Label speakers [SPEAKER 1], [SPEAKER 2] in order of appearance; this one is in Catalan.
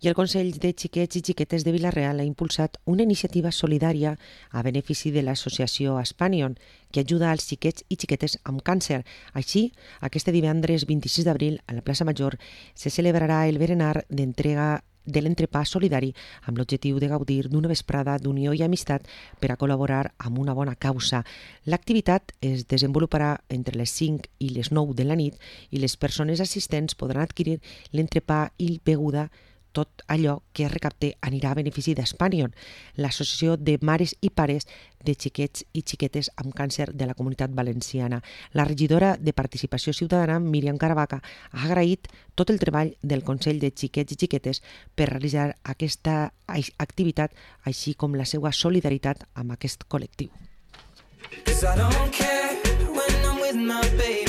[SPEAKER 1] I el Consell de Xiquets i Xiquetes de Vila-real ha impulsat una iniciativa solidària a benefici de l'associació Aspanion, que ajuda als xiquets i xiquetes amb càncer. Així, aquest divendres 26 d'abril, a la plaça Major, se celebrarà el berenar d'entrega de l'entrepà solidari amb l'objectiu de gaudir d'una vesprada d'unió i amistat per a col·laborar amb una bona causa. L'activitat es desenvoluparà entre les 5 i les 9 de la nit i les persones assistents podran adquirir l'entrepà i beguda. Tot allò que es recapte anirà a benefici d'Aspanion, l'associació de mares i pares de xiquets i xiquetes amb càncer de la Comunitat Valenciana. La regidora de Participació Ciutadana, Míriam Caravaca, ha agraït tot el treball del Consell de Xiquets i Xiquetes per realitzar aquesta activitat, així com la seva solidaritat amb aquest col·lectiu. 'Cause I don't care when I'm with my baby.